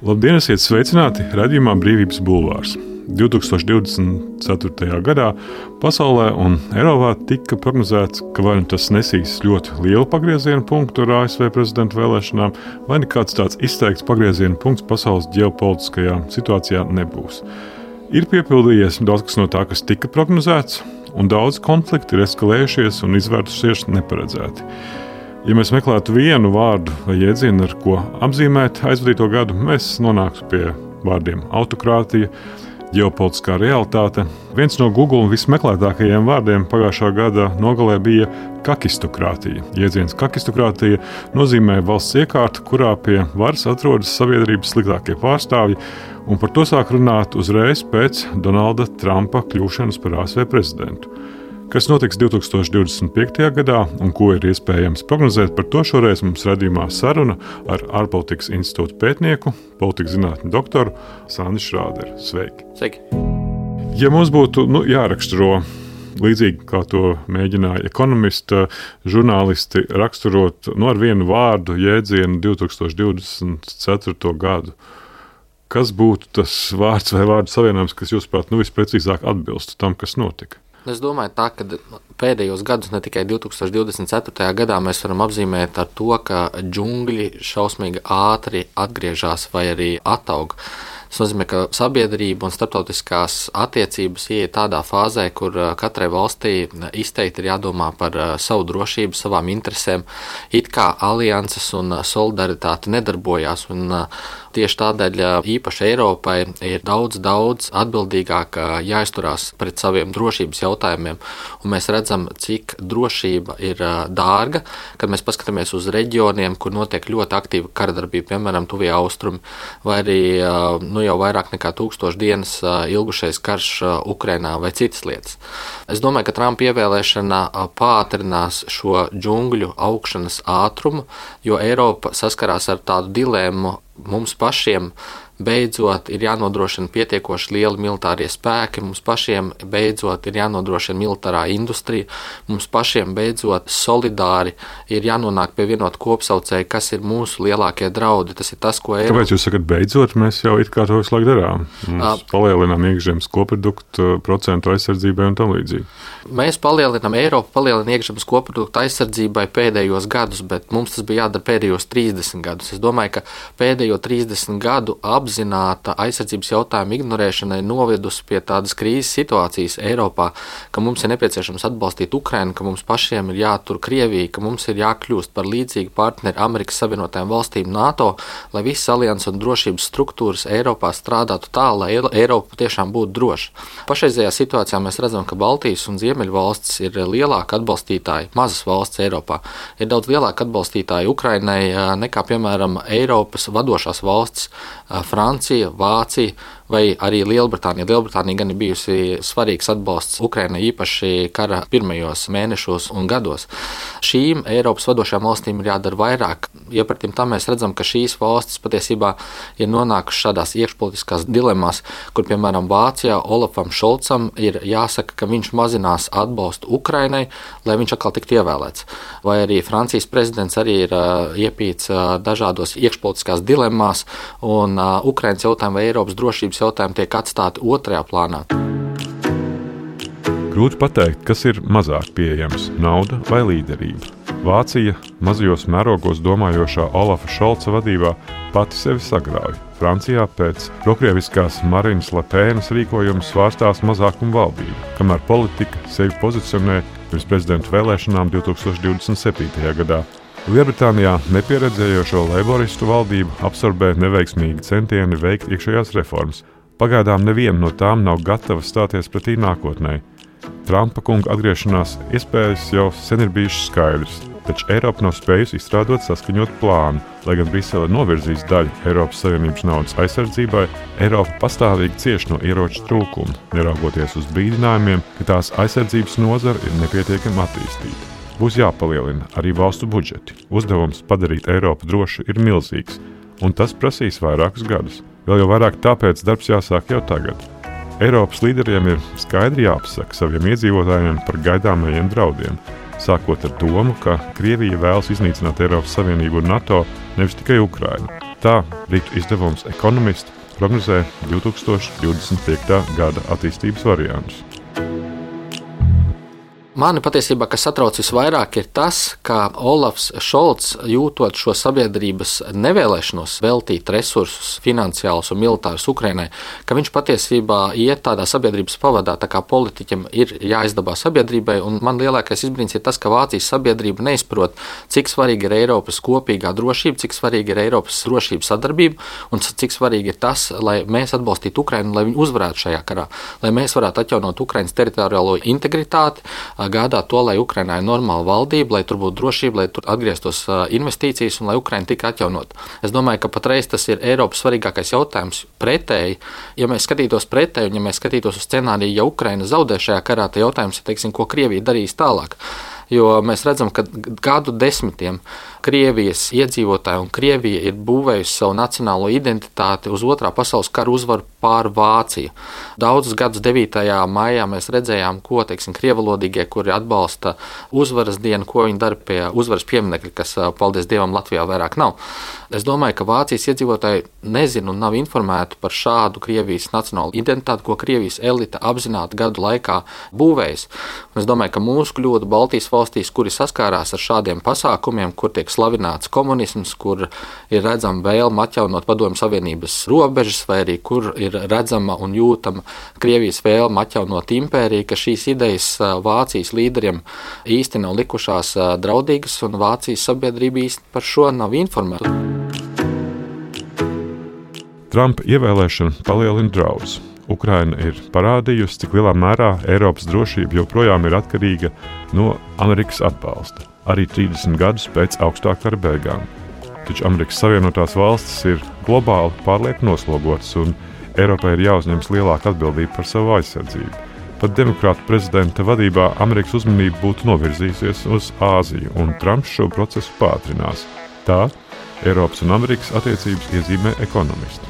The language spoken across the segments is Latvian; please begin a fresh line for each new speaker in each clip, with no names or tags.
Labdien, esiet sveicināti raidījumā Brīvības bulvārs. 2024. gadā pasaulē un Eiropā tika prognozēts, ka vai nu tas nesīs ļoti lielu pagrieziena punktu ar ASV prezidenta vēlēšanām, vai nekāds tāds izteikts pagrieziena punkts pasaules ģeopolitiskajā situācijā nebūs. Ir piepildījies daudz kas no tā, kas tika prognozēts, un daudz konflikti ir eskalējušies un izvērtušies neparedzēti. Ja mēs meklētu vienu vārdu vai jēdzienu, ar ko apzīmēt aizvadīto gadu, mēs nonāktu pie vārdiem autokrātija, ģeopolitiskā realitāte. Viens no Google vismeklētākajiem vārdiem pagājušā gada nogalē bija kakistokrātija. Jēdziens kakistokrātija nozīmē valsts iekārta, kurā pie varas atrodas sabiedrības sliktākie pārstāvji, un par to sāk runāt uzreiz pēc Donalda Trumpa kļūšanas par ASV prezidentu. Kas notiks 2025. gadā un ko ir iespējams prognozēt, par to šoreiz mums radījumā saruna ar ārpolitikas institūta pētnieku, politikas zinātņu doktoru Sandi Šrāderu. Sveiki!
Sveiki!
Ja mums būtu jāraksturo līdzīgi, kā to mēģināja ekonomisti, žurnālisti raksturot ar vienu vārdu jēdzienu 2024. gadu, kas būtu tas vārds vai vārdu savienojums, kas jūsuprāt visprecīzāk atbilstu tam, kas notika?
Es domāju, ka pēdējos gadus, ne tikai 2024. gadā, mēs varam apzīmēt ar to, ka džungļi šausmīgi ātri atgriežas vai arī ataug. Tas nozīmē, ka sabiedrība un starptautiskās attiecības ieiet tādā fāzē, kur katrai valstī izteikti ir jādomā par savu drošību, savām interesēm. It kā alianses un solidaritāte nedarbojās, un tieši tādēļ īpaši Eiropai ir daudz atbildīgāk jāizturās pret saviem drošības jautājumiem. Un mēs redzam, cik drošība ir dārga, kad mēs paskatāmies uz reģioniem, kur notiek ļoti aktīva karadarbība, piemēram, Tuvie Austrumi, vai arī jau vairāk nekā 1000 dienas ilgušais karš Ukrainā vai citas lietas. Es domāju, ka Trumpa ievēlēšana pātrinās šo džungļu augšanas ātrumu, jo Eiropa saskarās ar tādu dilemmu. Mums pašiem beidzot ir jānodrošina pietiekoši lieli militārie spēki, mums pašiem beidzot ir jānodrošina militārā industrija, mums pašiem beidzot solidāri ir jānonāk pie vienota kopsaucēja, kas ir mūsu lielākie draudi. Tas ir tas, ko Eiropa...
Kāpēc jūs sakat beidzot? Mēs jau it kā to visu laiku darām. Mēs palielinām iekšzemes koproduktu procentu aizsardzībai un tam līdzīgi.
Mēs palielinām, Eiropa palielina iekšzemes koproduktu aizsardzībai pēdējos gadus, bet mums tas bija jādara pēdējos 30 gadus. Es domāju, ka pēdējo 30 gadu apzināta aizsardzības jautājuma ignorēšana ir novedusi pie tādas krīzes situācijas Eiropā, ka mums ir nepieciešams atbalstīt Ukrainu, ka mums pašiem ir jātur Krievija, ka mums ir jākļūst par līdzīgu partneri Amerikas Savienotajām valstīm NATO, lai visas alianses un drošības struktūras Eiropā strādātu tā, lai Eiropa tiešām būtu droša. Pašreizējā situācijā mēs redzam, ka Baltijas un Ziemeļu valstis ir lielāka atbalstītāji, mazas valsts Eiropā. Ir daudz lielāka atbalstītāji Ukrainai nekā, piemēram, Eiropas vadošās valstis Francija, Vācija vai arī Lielbritānija. Lielbritānija gan ir bijusi svarīgs atbalsts Ukrainai īpaši kara pirmajos mēnešos un gados. Šīm Eiropas vadošajām valstīm ir jādara vairāk. Iepratim tam mēs redzam, ka šīs valstis patiesībā ir nonākušas šādās iekšpolitiskās dilemās, kur, piemēram, Vācijā Olafam Šolcam ir jāsaka, ka viņš mazinās atbalstu Ukrainai, lai viņš atkal tiktu ievēlēts. Vai arī Francijas prezidents arī ir iepīts dažādos iekšpolitiskās dilemmās, un Ukrainas jautājumi vai Eiropas drošības jautājumi tiek atstāti otrajā plānā.
Grūti pateikt, kas ir mazāk pieejams - nauda vai līderība. Vācija mazajos mērogos domājošā Olafa Šolca vadībā pati sevi sagrauj. Francijā pēc prokrieviskās Marinas Le Penas rīkojuma svārstās mazākuma valdība, kamēr politika sevi pozicionē pirms prezidenta vēlēšanām 2027. gadā. Lielbritānijā nepieredzējošo leiboristu valdību absorbē neveiksmīgi centieni veikt iekšējās reformas. Pagaidām neviena no tām nav gatava stāties pretī nākotnē. Trumpa kunga atgriešanās iespējas jau sen ir bijušas skaidrs, taču Eiropa nav spējusi izstrādāt saskaņot plānu. Lai gan Brisele novirzīs daļu Eiropas Savienības naudas aizsardzībai, Eiropa pastāvīgi cieš no ieroču trūkuma, neraugoties uz brīdinājumiem, ka tās aizsardzības nozara ir nepietiekami attīstīta. Būs jāpalielina arī valstu budžeti. Uzdevums padarīt Eiropu drošu ir milzīgs, un tas prasīs vairākus gadus. Vēl jau vairāk tāpēc darbs jāsāk jau tagad. Eiropas līderiem ir skaidri jāpasaka saviem iedzīvotājiem par gaidāmajiem draudiem, sākot ar domu, ka Krievija vēlas iznīcināt Eiropas Savienību un NATO, nevis tikai Ukrainu. Tā Britu izdevums Economist prognozē 2025. gada attīstības variantus.
Mani patiesībā, kas satrauc visvairāk, ir tas, ka Olafs Šolts, jūtot šo sabiedrības nevēlēšanos veltīt resursus, finansiālus un militārus Ukrainai, ka viņš patiesībā iet tādā sabiedrības pavadā, tā kā politiķim ir jāizdabā sabiedrībai, un man lielākais izbrīns ir tas, ka Vācijas sabiedrība neizprot, cik svarīgi ir Eiropas kopīgā drošība, cik svarīgi ir Eiropas drošības sadarbība, un cik svarīgi ir tas, lai mēs atbalstītu Ukrainu, lai viņi uzvarētu šajā karā, lai mēs varētu atjaunot Ukrainas teritoriālo integritāti, gādāt to, lai Ukrainā ir normāla valdība, lai tur būtu drošība, lai tur atgrieztos investīcijas un lai Ukraina tika atjaunot. Es domāju, ka patreiz tas ir Eiropas svarīgākais jautājums pretēji. Ja mēs skatītos pretēji un ja mēs skatītos uz scenāriju, ja Ukraina zaudē šajā karā, tad jautājums ir, teiksim, ko Krievija darīs tālāk. Jo mēs redzam, ka gadu desmitiem Krievijas iedzīvotāji un Krievija ir būvējusi savu nacionālo identitāti uz Otrā pasaules kara uzvaru pār Vāciju. Daudzus gadus 9. maijā mēs redzējām, ko, teiksim, krievalodīgie, kuri atbalsta uzvaras dienu, ko viņi dara pie uzvaras pieminekļa, kas, paldies Dievam, Latvijā vairāk nav. Es domāju, ka Vācijas iedzīvotāji nezina un nav informēti par šādu Krievijas nacionālu identitāti, ko Krievijas elite apzināti gadu laikā būvējas. Un es domāju, ka mūsu kļūda Baltijas valstīs, kuri saskārās ar šādiem pasākumiem, kur tiek slavināts komunisms, kur ir redzama vēlme atjaunot Padomju Savienības robežas, vai arī kur ir redzama un jūtama Krievijas vēlme atjaunot impēriju, ka šīs idejas Vācijas līderiem īsti nav likušās draudīgas, un Vācijas sabiedrība īsti par šo nav informēta.
Trumpa ievēlēšana palielina draudus. Ukraina ir parādījusi, cik lielā mērā Eiropas drošība joprojām ir atkarīga no Amerikas atbalsta, arī 30 gadus pēc augstā kara beigām. Taču Amerikas Savienotās valstis ir globāli pārlieku noslogotas, un Eiropai ir jāuzņemas lielāka atbildība par savu aizsardzību. Pat demokrātu prezidenta vadībā Amerikas uzmanība būtu novirzījusies uz Āziju, un Trumps šo procesu pātrinās. Tā Eiropas un Amerikas attiecības iezīmē Economist.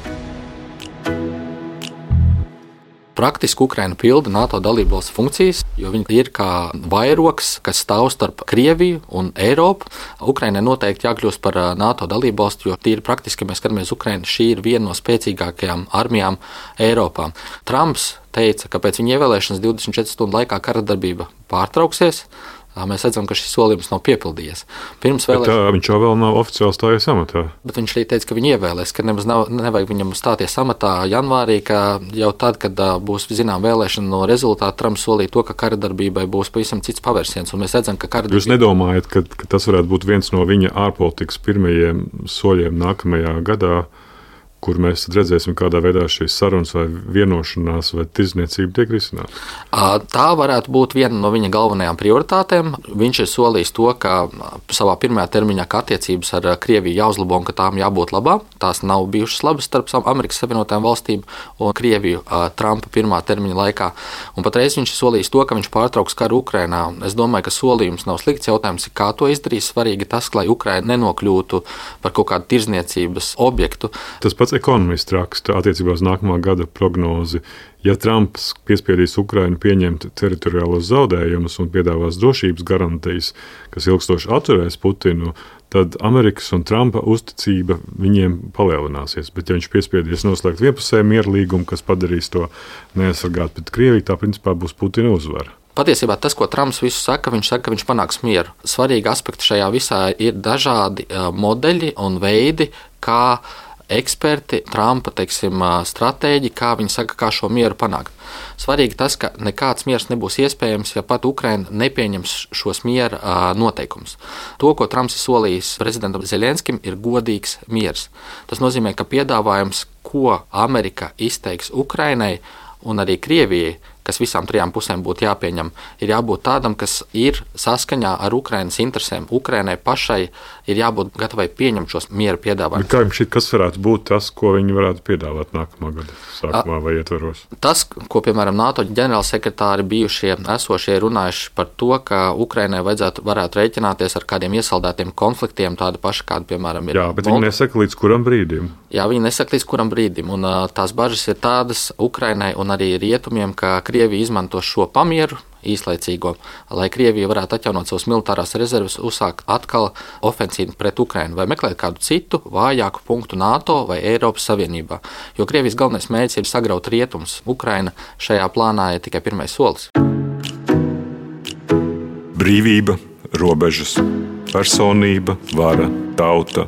Praktiski Ukraina pilda NATO dalībvalstu funkcijas, jo viņi ir kā vairogs, kas stāv starp Krieviju un Eiropu. Ukrainai noteikti jākļūst par NATO dalībvalstu, jo tīri praktiski, ja mēs skatāmies Ukrainu, šī ir viena no spēcīgākajām armijām Eiropā. Trumps teica, ka pēc viņa ievēlēšanas 24 stundu laikā kara darbība pārtrauksies. Mēs redzam, ka šis solījums nav piepildījies. Viņš
jau vēl nav oficiāli stājies amatā.
Bet viņš arī teica, ka viņu ievēlēs, ka nemaz nevajag viņam stāties amatā janvārī, ka jau tad, kad būs zinām vēlēšana no rezultāta, Trumps solīja to, ka kara darbībai būs pavisam cits pavērsiens. Un mēs redzam, ka kara darbība...
Jūs nedomājat, ka tas varētu būt viens no viņa ārpolitikas pirmajiem soļiem nākamajā gadā, kur mēs redzēsim, kādā veidā šīs sarunas vai vienošanās vai tirdzniecība tiek risināta?
Tā varētu būt viena no viņa galvenajām prioritātēm. Viņš ir solījis to, ka savā pirmajā termiņā attiecības ar Krieviju jāuzlabo un ka tām jābūt labām. Tās nav bijušas labas starp Amerikas Savienotajām valstīm un Krieviju Trumpa pirmā termiņa laikā. Un patreiz viņš ir solījis to, ka viņš pārtrauks karu Ukrainā. Es domāju, ka solījums nav slikts. Jautājums ir, kā to izdarīs. Svarīgi tas, lai Ukraina nenokļūtu par kaut kādu tirdzniecības objektu.
Tas pats Economist raksta attiecībā uz nākamā gada prognozi. Ja Trumps piespiedīs Ukrainu pieņemt teritoriālos zaudējumus un piedāvās drošības garantijas, kas ilgstoši atturēs Putinu, tad Amerikas un Trumpa uzticība viņiem palielināsies. Bet ja viņš piespiedīs noslēgt vienpusēju mieru līgumu, kas padarīs to neaizsargāt pret Krieviju, tā principā būs Putina uzvara.
Patiesībā tas, ko Trumps visu saka, ka viņš panāks mieru. Svarīgi aspekti šajā visā ir dažādi modeļi un veidi, kā eksperti, Trumpa, stratēģi, kā viņi saka, kā šo mieru panākt. Svarīgi tas, ka nekāds miers nebūs iespējams, ja pat Ukraina nepieņems šos miera noteikumus. To, ko Trumps ir solījis prezidentam Zeļenskim, ir godīgs miers. Tas nozīmē, ka piedāvājums, ko Amerika izteiks Ukrainai un arī Krievijai, kas visām trijām pusēm būtu jāpieņem, ir jābūt tādam, kas ir saskaņā ar Ukrainas interesēm. Ukrainai pašai ir jābūt gatavai pieņemt šos miera piedāvājumus.
Kā jums šķiet, kas varētu būt tas, ko viņi varētu piedāvāt nākamā gada sākumā vai ietvaros?
Tas, ko, piemēram, NATO ģenerālsekretāri bijušie esošie runājuši par to, ka Ukrainai varētu rēķināties ar kādiem iesaldētiem konfliktiem, tādi paši, kādi, piemēram, ir.
Jā, bet viņi nesaka līdz kuram brīdim.
Jā, viņi nesaka līdz kuram brīdim, un tās bažas ir tādas Ukrainai un arī rietumiem, ka Krievija izmanto šo pamieru īslaicīgo, lai Krievija varētu atjaunot savas militārās rezerves, uzsākt atkal ofensīvu pret Ukrainu vai meklēt kādu citu vājāku punktu NATO vai Eiropas Savienībā. Jo Krievijas galvenais mērķis ir sagraut rietumus. Ukraina šajā plānā ir tikai pirmais solis.
Brīvība, robežas, personība, vara, tauta,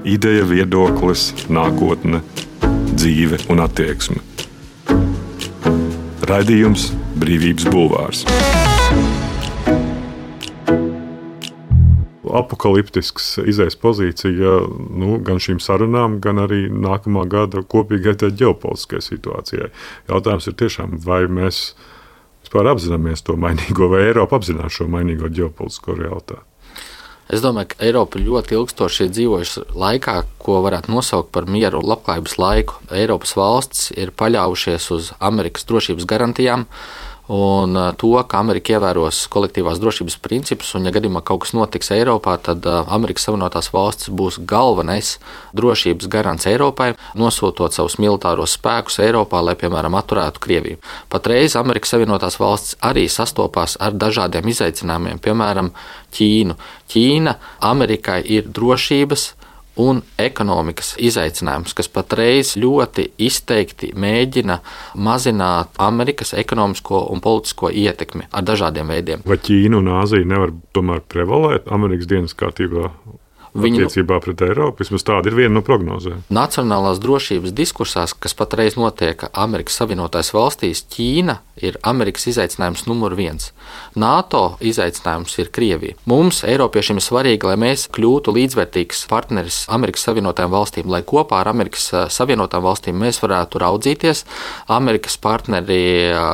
ideja, viedoklis, nākotne, dzīve un attieksme. Raidījums Brīvības bulvārs. Apokaliptisks izējas pozīcija gan šīm sarunām, gan arī nākamā gada kopīgai ģeopolitiskajai situācijai. Jautājums ir tiešām, vai mēs vispār apzināmies to mainīgo, vai Eiropa apzinās šo mainīgo ģeopolitisko realitāti.
Es domāju, ka Eiropa ļoti ilgstoši ir dzīvojusi laikā, ko varētu nosaukt par mieru un labklājības laiku. Eiropas valsts ir paļāvušies uz Amerikas drošības garantijām un to, ka Amerika ievēros kolektīvās drošības principus, un ja gadījumā kaut kas notiks Eiropā, tad Amerikas Savienotās valstis būs galvenais drošības garants Eiropai, nosūtot savus militāros spēkus Eiropā, lai, piemēram, atturētu Krieviju. Patreiz Amerikas Savienotās valstis arī sastopās ar dažādiem izaicinājumiem, piemēram, Ķīnu. Ķīna Amerikai ir drošības un ekonomikas izaicinājums, kas patreiz ļoti izteikti mēģina mazināt Amerikas ekonomisko un politisko ietekmi ar dažādiem veidiem.
Vai Ķīna un Āzija nevar tomēr prevalēt Amerikas dienas kārtībā attiecībā pret Eiropu? Vismaz tāda ir viena no prognozēm.
Nacionālās drošības diskursās, kas patreiz notiek Amerikas Savienotās valstīs, Ķīna ir Amerikas izaicinājums numur 1. NATO izaicinājums ir Krievija. Mums, Eiropiešiem, ir svarīgi, lai mēs kļūtu līdzvērtīgs partneris Amerikas Savienotajām valstīm, lai kopā ar Amerikas Savienotām valstīm mēs varētu raudzīties. Amerikas partneri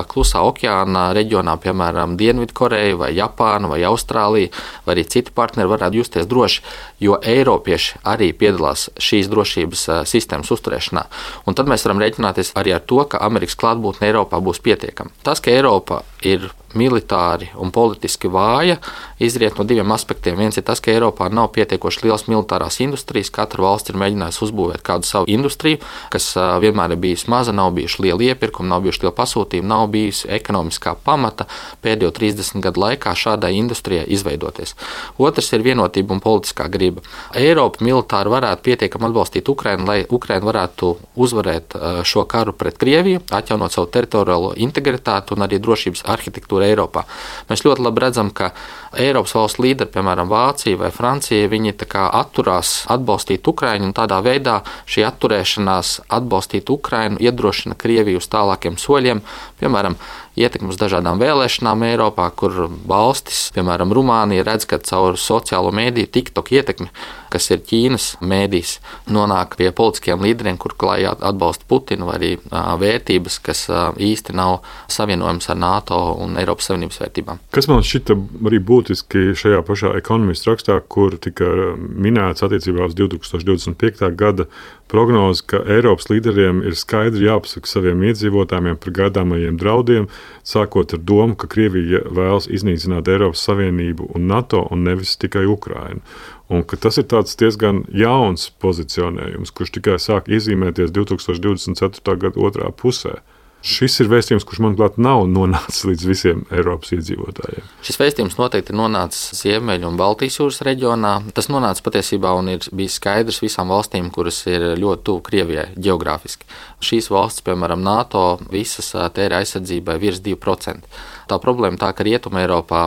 Klusā okeāna reģionā, piemēram, Dienvidkoreja vai Japāna vai Austrālija, vai arī citi partneri varētu justies droši, jo Eiropieši arī piedalās šīs drošības sistēmas uzturēšanā. Un tad mēs varam rēķināties arī ar to, ka Amerikas klātbūtne Eiropā būs pietiekama. Tas, ka Eiropa ir militāri un politiski vāja, izriet no diviem aspektiem. Viens ir tas, ka Eiropā nav pietiekoši liels militārās industrijas. Katra valsts ir mēģinājusi uzbūvēt kādu savu industriju, kas vienmēr ir bijusi maza, nav bijuši lieli iepirkumi, nav bijuši lieli pasūtījumi, nav bijusi ekonomiskā pamata pēdējo 30 gadu laikā šādai industrijai izveidoties. Otrs ir vienotība un politiskā griba. Eiropa militāri varētu pietiekami atbalstīt Ukrainu, lai Ukraina varētu uzvarēt šo karu pret Krieviju, atjaunot savu teritoriālo integritāti un arī drošības arhitektūru Eiropā. Mēs ļoti labi redzam, ka Eiropas valstu līderi, piemēram, Vācija vai Francija, viņi atturās atbalstīt Ukrainu, un tādā veidā šī atturēšanās atbalstīt Ukrainu iedrošina Krieviju uz tālākiem soļiem, piemēram, ietekmi uz dažādām vēlēšanām Eiropā, kur valstis, piemēram, Rumānija, redz, ka caur sociālo mēdīju TikTok ietekmi, kas ir Ķīnas mēdījis, nonāk pie politiskiem līderiem, kur klāj atbalsta Putinu, vai arī vērtības, kas īsti nav savienojams ar NATO un Eiropas Savienības vērtībām.
Kas man šķita arī būtiski šajā pašā ekonomistu rakstā, kur tika minēts attiecībā uz 2025. gada prognozi, ka Eiropas līderiem ir skaidri jāpasaka saviem iedzīvotājiem par gaidāmajiem draudiem, sākot ar domu, ka Krievija vēlas iznīcināt Eiropas Savienību un NATO un nevis tikai Ukrainu. Un ka tas ir tāds diezgan jauns pozicionējums, kurš tikai sāk iezīmēties 2024. gada otrā pusē. Šis ir vēstījums, kurš, manuprāt, nav nonācis līdz visiem Eiropas iedzīvotājiem.
Šis vēstījums noteikti ir nonācis Ziemeļu un Baltijas jūras reģionā. Tas nonāca patiesībā un ir bijis skaidrs visām valstīm, kuras ir ļoti tuvu Krievijai ģeogrāfiski. Šīs valstis, piemēram, NATO, visas tērē aizsardzībai virs 2%. Tā problēma tā, ka Rietuma Eiropā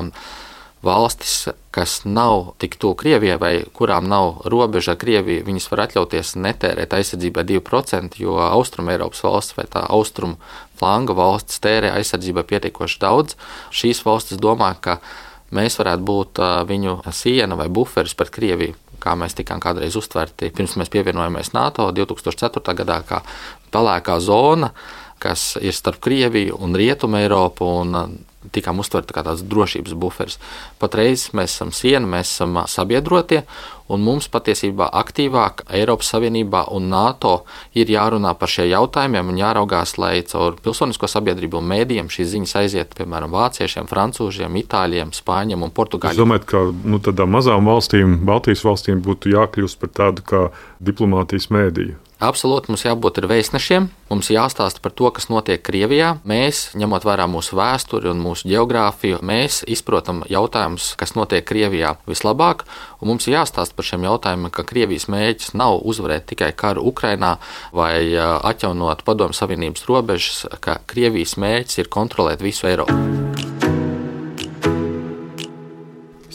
valstis, kas nav tik tuvu Krievijai vai kurām nav robeža ar Krieviju, viņas var atļauties netērēt aizsardzībai 2%, jo Austrum Eiropas valsts vai tā austrumu flanga valstis tērē aizsardzībai pietiekoši daudz. Šīs valstis domā, ka mēs varētu būt viņu siena vai buferis pret Krieviju, kā mēs tikām kādreiz uztverti, pirms mēs pievienojamies NATO 2004. gadā, kā pelēkā zona, kas ir starp Krieviju un Rietumu Eiropu, un tikām uztverta kā tāds drošības buferis. Patreiz mēs esam siena, mēs esam sabiedrotie, un mums patiesībā aktīvāk Eiropas Savienībā un NATO ir jārunā par šiem jautājumiem un jāraugās, lai caur pilsonisko sabiedrību un mēdījiem šīs ziņas aiziet, piemēram, vāciešiem, francūžiem, itāļiem, spāņiem un portugāļiem.
Es domāju, ka tādām mazām valstīm, Baltijas valstīm būtu jākļūst par tādu kā diplomātijas mēdīju.
Absolūti, mums jābūt vēstnešiem, mums jāstāsta par to, kas notiek Krievijā. Mēs, ņemot vērā mūsu vēsturi un mūsu geogrāfiju, mēs izprotam jautājumus, kas notiek Krievijā vislabāk, un mums jāstāsta par šiem jautājumiem, ka Krievijas mērķis nav uzvarēt tikai karu Ukrainā vai atjaunot Padomju Savienības robežas, ka Krievijas mērķis ir kontrolēt visu Eiropu.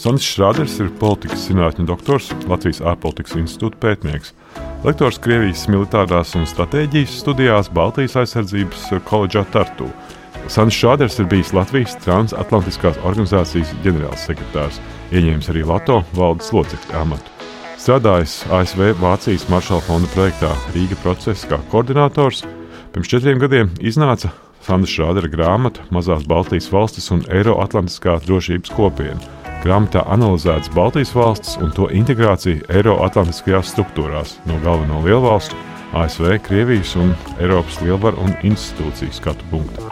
Sandis Šrāders ir politikas zinātņu doktors, Latvijas ārpolitikas institūta pētnieks. Lektors Krievijas militārās un stratēģijas studijās Baltijas aizsardzības koledžā Tartu. Sandis Šrāders ir bijis Latvijas transatlantiskās organizācijas ģenerālsekretārs, ieņēmis arī Lato valdes locekļa amatu. Strādājis ASV Vācijas Maršala fonda projektā Rīga procesa kā koordinators. Pirms 4 gadiem iznāca Sandis Šrādera grāmata Mazās Baltijas valstis un Eiroatlantiskā drošības kopiena. Grāmatā analizētas Baltijas valstis un to integrācija Eiroatlantiskajās struktūrās no galveno lielvalstu, ASV, Krievijas un Eiropas lielvaru un institūciju skatu punktu.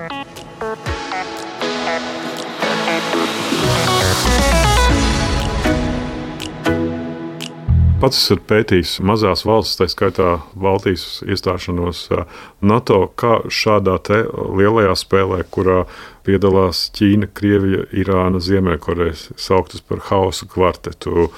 Pats esat pētījis mazās valstis, tā skaitā Baltijas iestāšanos NATO, kā šādā te lielajā spēlē, kurā piedalās Ķīna, Krievija, Irāna, Ziemeļkoreja, sauktas par hausa kvartetu.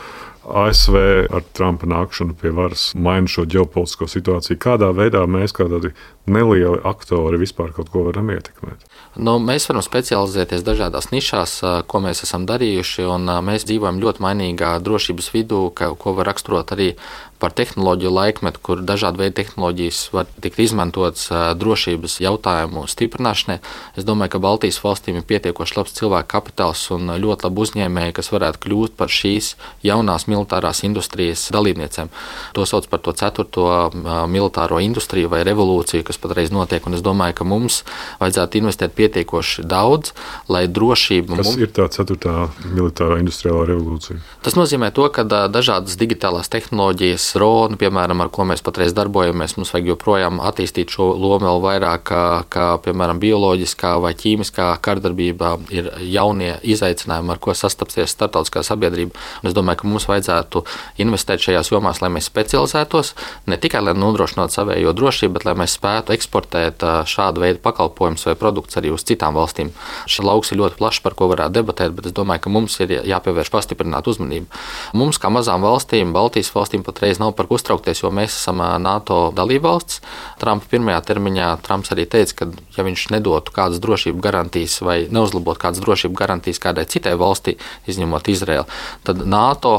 ASV ar Trumpa nākšanu pie varas maina šo ģeopolitisko situāciju. Kādā veidā mēs, kā tādi nelieli aktori, vispār kaut ko varam ietekmēt?
Mēs varam specializēties dažādās nišās, ko mēs esam darījuši, un mēs dzīvojam ļoti mainīgā drošības vidū, ko var raksturot arī par tehnoloģiju laikmetu, kur dažādi veidi tehnoloģijas var tikt izmantotas drošības jautājumu stiprināšanai. Es domāju, ka Baltijas valstīm ir pietiekoši labs cilvēku kapitāls un ļoti labi uzņēmēji, kas varētu kļūt par šīs jaunās militārās industrijas dalībniecēm. To sauc par to 4. militāro industriju vai revolūciju, kas patreiz notiek, un es domāju, ka mums vajadzētu investēt pietiekoši daudz, lai drošība...
Kas ir tā 4. militārā industriālā revolūcija?
Tas nozīmē to, ka dažādas digitālās tehnoloģijas, droni, piemēram, ar ko mēs patreiz darbojamies, mums vajag joprojām attīstīt šo lomu vēl vairāk, kā piemēram, bioloģiskā vai ķīmiskā kardarbībā ir jaunie izaicinājumi, ar ko sastapsies starptautiskā sabiedrība. Un es domāju, ka mums vajadzētu investēt šajās jomās, lai mēs specializētos, ne tikai lai nodrošinātu savējo drošību, bet lai mēs spētu eksportēt šādu veidu pakalpojumus vai produktus arī uz citām valstīm. Šis lauks ir ļoti plašs, par ko varētu debatēt, bet es domāju, ka mums ir jāpievērš pastiprināta uzmanība. Mums, kā mazām valstīm, Baltijas valstīm patreiz nav par ko uztraukties, jo mēs esam NATO dalībvalsts. Trumpa pirmajā termiņā Trumps arī teica, ka ja viņš nedotu kādas drošības garantijas vai neuzlabotu kādas drošības garantijas kādai citai valstī, izņemot Izraēlu, tad NATO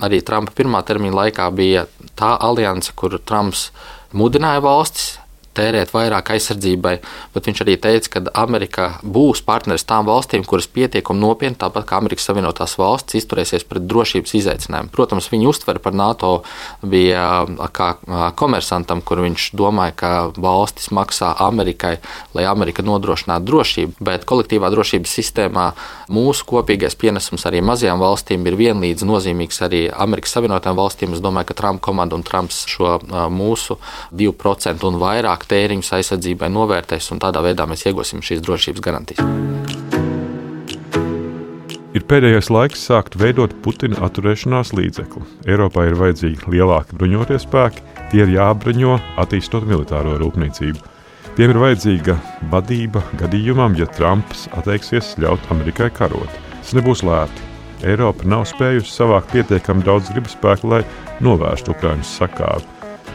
arī Trumpa pirmā termiņa laikā bija tā alianse, kur Trumps mudināja valstis tērēt vairāk aizsardzībai, bet viņš arī teica, ka Amerika būs partneris tām valstīm, kuras pietiekami nopietni, tāpat kā Amerikas Savienotās valstis, izturēsies pret drošības izaicinājumu. Protams, viņa uztvere par NATO bija kā komersantam, kur viņš domāja, ka valstis maksā Amerikai, lai Amerika nodrošinātu drošību, bet kolektīvā drošības sistēmā mūsu kopīgais pienesums arī mazajām valstīm ir vienlīdz nozīmīgs arī Amerikas Savienotām valstīm. Es domāju, ka Trumpa komanda un Trumps šo mūsu 2% un vairāk tēriņus aizsardzībai novērtēs, un tādā veidā mēs iegūsim šīs drošības garantijas.
Ir pēdējais laiks sākt veidot Putina atturēšanās līdzekli. Eiropā ir vajadzīgi lielāki bruņotie spēki, tie ir jābruņo, attīstot militāro rūpniecību. Tiem ir vajadzīga vadība gadījumam, ja Trumps atteiksies ļaut Amerikai karot. Tas nebūs lēti. Eiropa nav spējusi savākt pietiekami daudz gribspēku, lai novērstu Ukrainas sakāvi.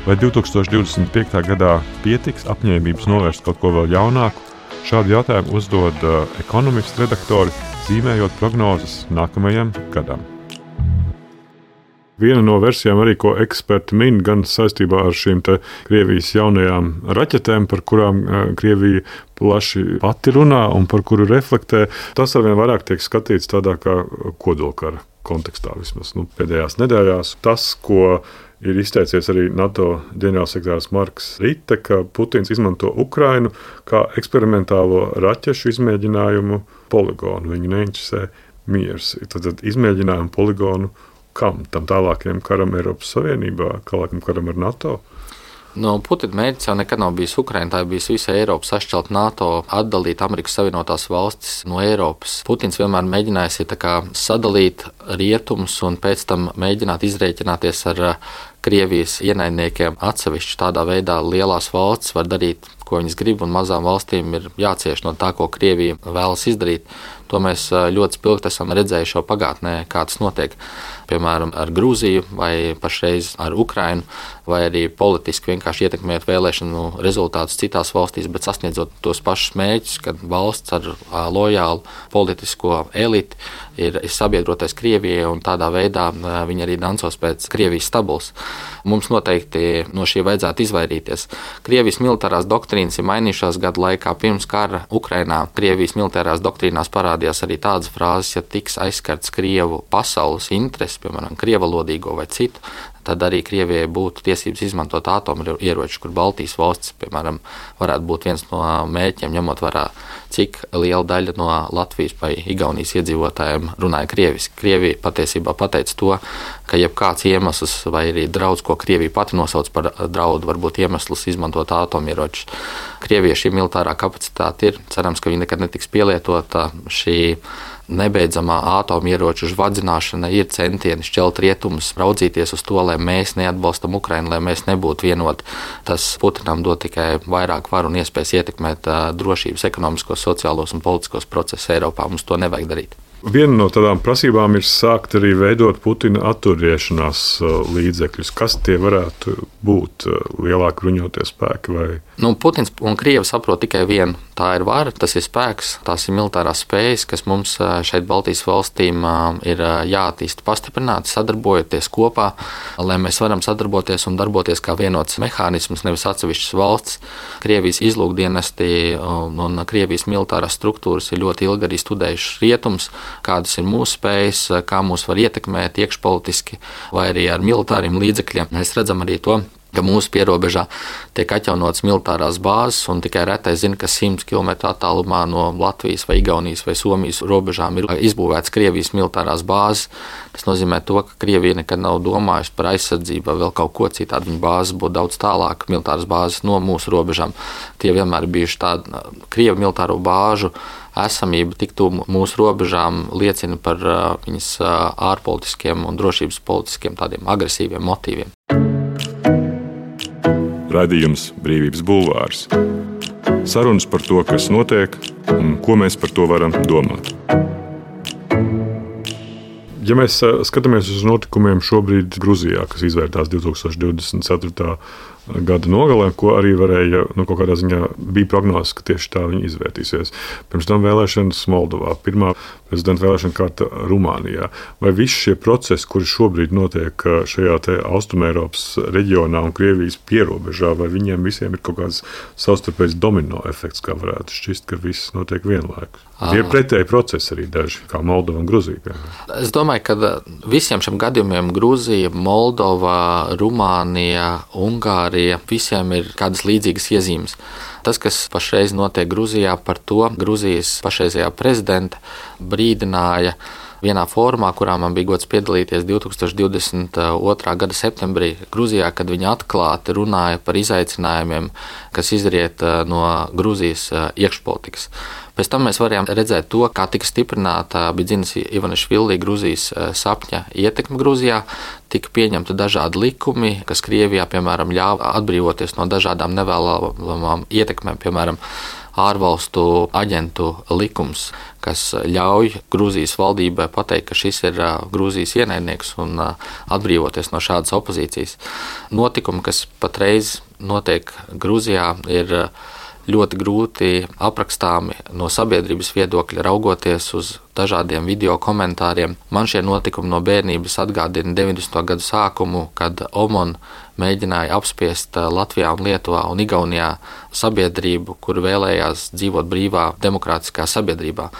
Vai 2025. gadā pietiks apņēmības novērst kaut ko vēl jaunāku? Šādu jautājumu uzdod ekonomistu redaktori, zīmējot prognozes nākamajam gadam. Viena no versijām arī, ko eksperti min, gan saistībā ar šīm te Krievijas jaunajām raķetēm, par kurām Krievija plaši pati runā un par kuru reflektē, tas arvien vairāk tiek skatīts tādā kā kodolkara kontekstā vismaz pēdējās nedēļās. Tas, ko Ir izteicies arī NATO ģenerālsekretārs Marks Rite, ka Putins izmanto Ukrainu kā eksperimentālo raķešu izmēģinājumu poligonu. Viņu neinteresē miers. Tad izmēģinājumu poligonu kam? Tam tālākajam karam Eiropas Savienībā, tālākam karam ar NATO?
Putina mērķis jau nekad nav bijis Ukraina, tā ir bijis visa Eiropa, sašķelt NATO, atdalīt Amerikas Savienotās valstis no Eiropas. Putins vienmēr mēģinājis sadalīt rietumus un pēc tam mēģināt izrēķināties ar Krievijas ienaidniekiem atsevišķi. Tādā veidā lielās valstis var darīt, ko viņas grib, un mazām valstīm ir jācieš no tā, ko Krievija vēlas izdarīt. To mēs ļoti spilgti esam redzējuši jau pagātnē, kā tas notiek. Piemēram, ar Grūziju vai pašreiz ar Ukrainu, vai arī politiski vienkārši ietekmējot vēlēšanu rezultātus citās valstīs, bet sasniedzot tos pašus mērķus, kad valsts ar lojālu politisko eliti ir sabiedrotais Krievijai, un tādā veidā viņi arī dancos pēc Krievijas stabulas. Mums noteikti no šī vajadzētu izvairīties. Krievijas militārās doktrīnas ir mainījušās gadu laikā. Pirms kara Ukrainā Krievijas militārās doktrīnās parādījās arī tādas frāzes, ja tiks aizskarts Krievu pasaules interesi, piemēram, krievalodīgo vai citu, tad arī Krievijai būtu tiesības izmantot atomieročus, kur Baltijas valstis, piemēram, varētu būt viens no mērķiem, ņemot vērā, cik liela daļa no Latvijas vai Igaunijas iedzīvotājiem runāja krieviski. Krievija patiesībā pateica to, ka jebkāds iemesls vai arī draudz, ko Krievija pati nosauc par draudu, varbūt iemesls izmantot atomieročus. Krievijai šī militārā kapacitāte ir. Cerams, ka viņa nekad netiks pielietota. Šī nebeidzamā atomieroču žvadzināšana ir centieni šķelt rietumus, raudzīties uz to, lai mēs neatbalstam Ukrainu, lai mēs nebūtu vienoti. Tas Putinam dod tikai vairāk varu un iespējas ietekmēt drošības, ekonomiskos, sociālos un politiskos procesus Eiropā. Mums to nevajag darīt.
Viena no tādām prasībām ir sākt arī veidot Putina atturēšanās līdzekļus. Kas tie varētu būt? Lielāki bruņotie spēki vai?
Putins un Krievi saprot tikai vienu. Tā ir vara, tas ir spēks, tās ir militārās spējas, kas mums šeit Baltijas valstīm ir jāattīsta pastiprināti, sadarbojoties kopā, lai mēs varam sadarboties un darboties kā vienots mehānisms, nevis atsevišķas valsts. Krievijas izlūkdienesti un Krievijas militārās struktūras ir ļoti ilgi arī studējušas rietums, kādas ir mūsu spējas, kā mūs var ietekmēt iekšpolitiski vai arī ar militāriem līdzekļiem. Mēs redzam arī to, ka mūsu pierobežā tiek atjaunotas militārās bāzes, un tikai retais zina, ka 100 km attālumā no Latvijas vai Igaunijas vai Somijas robežām ir izbūvētas Krievijas militārās bāzes. Tas nozīmē to, ka Krievija nekad nav domājusi par aizsardzību vai vēl kaut ko citādi. Viņa bāzes būtu daudz tālāk, militāras bāzes no mūsu robežām. Tie vienmēr ir bijuši tādi Krievu militāro bāžu esamība tik tuvu mūsu robežām liecina par viņas ārpolitiskiem un drošības politiskiem tādiem agresīviem motīviem.
Raidījums Brīvības bulvārs. Sarunas par to, kas notiek un ko mēs par to varam domāt. Ja mēs skatāmies uz notikumiem šobrīd Gruzijā, kas izvērtās 2024. Gada nogalē, ko arī varēja, kaut kādā ziņā bija prognozes, ka tieši tā viņi izvērtīsies. Pirms tam vēlēšanas Moldovā, pirmā prezidenta vēlēšana kārta Rumānijā. Vai visi šie procesi, kuri šobrīd notiek šajā Austrumēropas reģionā un Krievijas pierobežā, vai viņiem visiem ir kaut kāds savstarpējs domino efekts, kā varētu šķist, ka viss notiek vienlaikus? Ir pretēji procesi arī daži, kā Moldova un Gruzija.
Es domāju, ka visiem šiem gadījumiem Gruzija, Moldova, Rumānija, Ungārija, visiem ir kādas līdzīgas iezīmes. Tas, kas pašreiz notiek Gruzijā, par to Gruzijas pašreizējā prezidenta brīdināja vienā fórumā, kurā man bija gods piedalīties 2022. Gada septembrī Gruzijā, kad viņi atklāti runāja par izaicinājumiem, kas izriet no Gruzijas iekšpolitikas. Pēc tam mēs varējām redzēt to, kā tika stiprināta Bidzinas Ivanišvili Gruzijas sapņa ietekme Gruzijā, tika pieņemti dažādi likumi, kas Krievijā, piemēram, ļāva atbrīvoties no dažādām nevēlamām ietekmēm, piemēram, ārvalstu aģentu likums, kas ļauj Grūzijas valdībai pateikt, ka šis ir Grūzijas ienaidnieks un atbrīvoties no šādas opozīcijas. Notikumi, kas patreiz notiek Grūzijā, ir ļoti grūti aprakstāmi no sabiedrības viedokļa, raugoties uz dažādiem video komentāriem. Man šie notikumi no bērnības atgādina 90. gadu sākumu, kad OMON mēģināja apspiest Latvijā un Lietuvā un Igaunijā sabiedrību, kur vēlējās dzīvot brīvā, demokrātiskā sabiedrībā.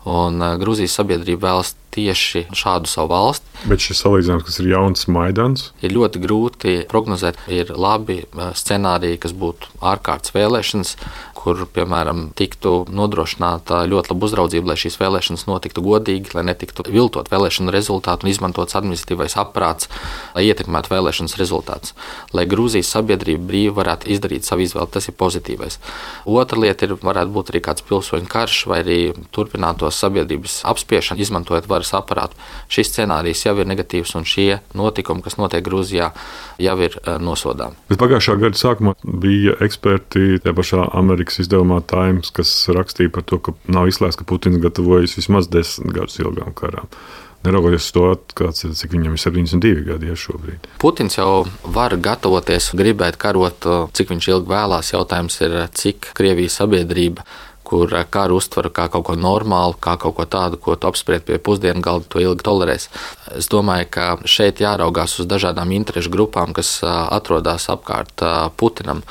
Un Grūzijas sabiedrība vēlas tieši šādu savu valsti.
Bet šis salīdzinājums, kas ir jauns Maidans,
ir ļoti grūti prognozēt. Ir labi scenāriji, kas būtu ārkārtas vēlēšanas, kur, piemēram, tiktu nodrošināta ļoti laba uzraudzība, lai šīs vēlēšanas notiktu godīgi, lai netiktu viltot vēlēšanu rezultātu un izmantots administratīvais aparāts, lai ietekmētu vēlēšanas rezultātus. Lai Grūzijas sabiedrība brīvi varētu izdarīt savu izvēli, tas ir pozitīvais. Otra lieta varētu būt arī kāds pilsoņu karš vai arī turpinātos sabiedrības apspiešana, izmantojot varas aparātu. Šis scenārijs jau ir negatīvs un šie notikumi, kas notiek Grūzijā, jau ir nosodāmi.
Bet pagājušā gada sākumā bija eksperti tajā pašā Amerikas izdevumā Times, kas rakstīja par to, ka nav izslēgts, ka Putins gatavojas vismaz 10 gadus ilgām karām. Neraugoties to, cik viņam ir 72 gadi šobrīd.
Putins jau var gatavoties, gribēt karot, cik viņš ilgi vēlās. Jautājums ir, cik Krievijas sabiedrība, kur karu uztver kā kaut ko normālu, kā kaut ko tādu, ko tu apspried pie pusdienu galda, to ilgi tolerēs. Es domāju, ka šeit jāraugās uz dažādām interešu grupām, kas atrodas apkārt Putinam.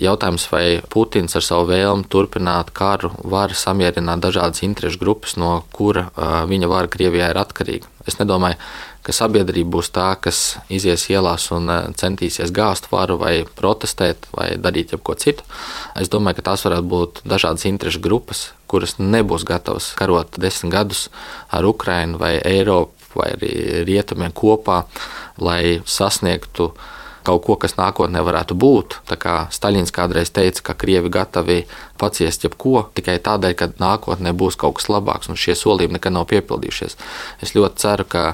Jautājums, vai Putins ar savu vēlmi turpināt karu var samierināt dažādas interešu grupas, no kura viņa vara Krievijā ir atkarīga. Es nedomāju, ka sabiedrība būs tā, kas izies ielās un centīsies gāzt varu vai protestēt vai darīt jebko citu. Es domāju, ka tās varētu būt dažādas interešu grupas, kuras nebūs gatavas karot 10 gadus ar Ukrainu vai Eiropu vai arī rietumiem kopā, lai sasniegtu kaut ko, kas nākotnē varētu būt. Tā kā Staļins kādreiz teica, ka Krievi gatavi paciest jebko tikai tādēļ, ka nākotnē būs kaut kas labāks, un šie solījumi nekad nav piepildījušies. Es ļoti ceru, ka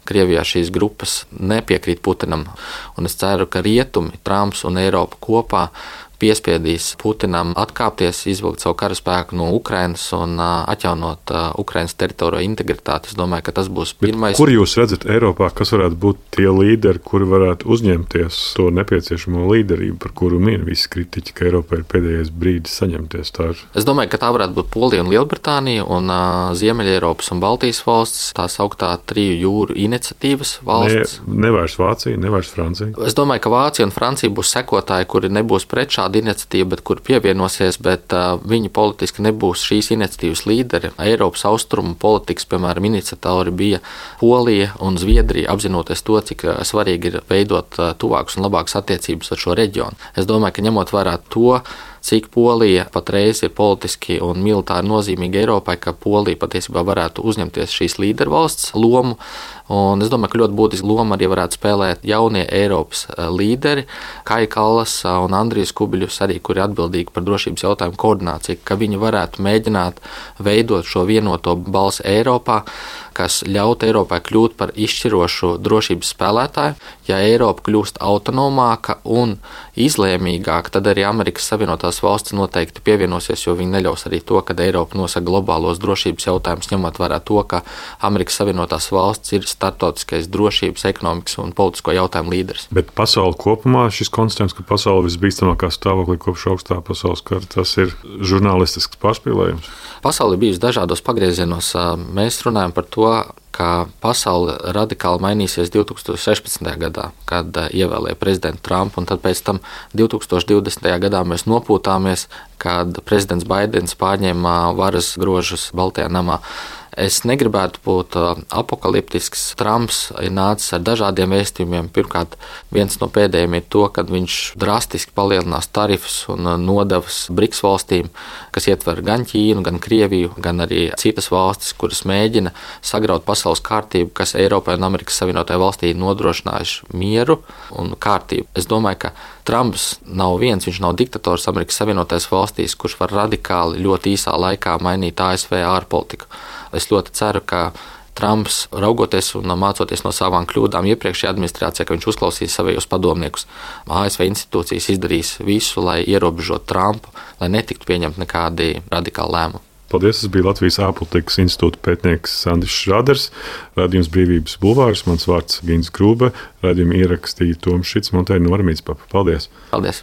Krievijā šīs grupas nepiekrīt Putinam, un es ceru, ka rietumi, Trumps un Eiropa kopā piespiedīs Putinam atkāpties, izvilkt savu karaspēku no Ukrainas un atjaunot Ukrainas teritoriju integritāti. Es domāju, ka tas būs pirmais.
Kur jūs redzat Eiropā, kas varētu būt tie līderi, kuri varētu uzņemties to nepieciešamo līderību, par kuru min visi kritiķi, ka Eiropā ir pēdējais brīdis saņemties tā?
Es domāju, ka tā varētu būt Polija un Lielbritānija un Ziemeļeiropas un Baltijas valsts, tā sauktā triju jūru iniciatīvas valsts.
Nevairs Vācija, nevairs Francija.
Es domāju, ka Vācija un Francija būs sekotāji, kuri nebūs pret šādu iniciatīva, bet kur pievienosies, bet viņi politiski nebūs šīs iniciatīvas līderi. Eiropas austrumu politikas, piemēram, iniciatori bija Polija un Zviedrija, apzinoties to, cik svarīgi ir veidot tuvākas un labākas attiecības ar šo reģionu. Es domāju, ka ņemot vērā to, cik Polija patreiz ir politiski un militāri nozīmīga Eiropai, ka Polija patiesībā varētu uzņemties šīs līdervalsts lomu. Un es domāju, ka ļoti būtisku lomu arī varētu spēlēt jaunie Eiropas līderi, Kaja Kallas un Andrijs Kubiļus, arī kuri atbildīgi par drošības jautājumu koordināciju, ka viņi varētu mēģināt veidot šo vienoto balsi Eiropā, kas ļaut Eiropai kļūt par izšķirošu drošības spēlētāju. Ja Eiropa kļūst autonomāka un izlēmīgāka, tad arī Amerikas Savienotās valstis noteikti pievienosies, jo viņi neļaus arī to, ka Eiropa nosaka globālos drošības jautājumus, ņemot vērā to, ka Amerikas Savienotās valstis ir starptautiskais drošības, ekonomikas un politisko jautājumu līderis.
Bet pasauli kopumā šis konstatējums, ka pasauli visbīstamākā stāvoklī kopš augstā pasaules kara, tas ir žurnālistisks pārspīlējums?
Pasauli bijusi dažādos pagriezienos. Mēs runājam par to, ka pasaule radikāli mainīsies 2016. gadā, kad ievēlēja prezidentu Trumpu, un tad pēc tam 2020. gadā mēs nopūtāmies, kad prezidents Baidens pārņēma varas grožus Baltajā namā. Es negribētu būt apokaliptisks. Trumps ir nācis ar dažādiem vēstījumiem. Pirmkārt, viens no pēdējiem ir to, ka viņš drastiski palielinās tarifus un nodevas BRICS valstīm, kas ietver gan Ķīnu, gan Krieviju, gan arī citas valstis, kuras mēģina sagraut pasaules kārtību, kas Eiropai un Amerikas Savienotajai valstī nodrošinājuši mieru un kārtību. Es domāju, ka Trumps nav viens, viņš nav diktators Amerikas Savienotajās valstīs, kurš var radikāli ļoti īsā laikā mainīt ASV ārpolitiku. Es ļoti ceru, ka Trumps, raugoties un mācoties no savām kļūdām iepriekšējā administrācijā, ka viņš uzklausīs savējos padomniekus. ASV institūcijas izdarīs visu, lai ierobežotu Trumpu, lai netiktu pieņemt nekādi radikāli lēmumi.
Paldies, tas bija Latvijas ārpolitikas institūta pētnieks Sandis Šraders, raidījums Brīvības bulvārs, mans vārds Gins Grūbe, raidījumu ierakstīja Toms Šits, montēja Nora Mītspapa. Paldies!
Paldies!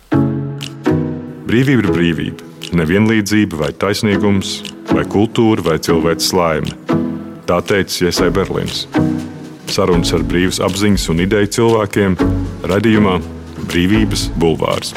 Brīvība ir brīvība, nevienlīdzība vai taisnīgums, vai kultūra vai cilvēks laime. Tā teica Iesai Berlīns. Sarunas ar brīvas apziņas un ideju cilvēkiem raidījumā Brīvības bulvārs.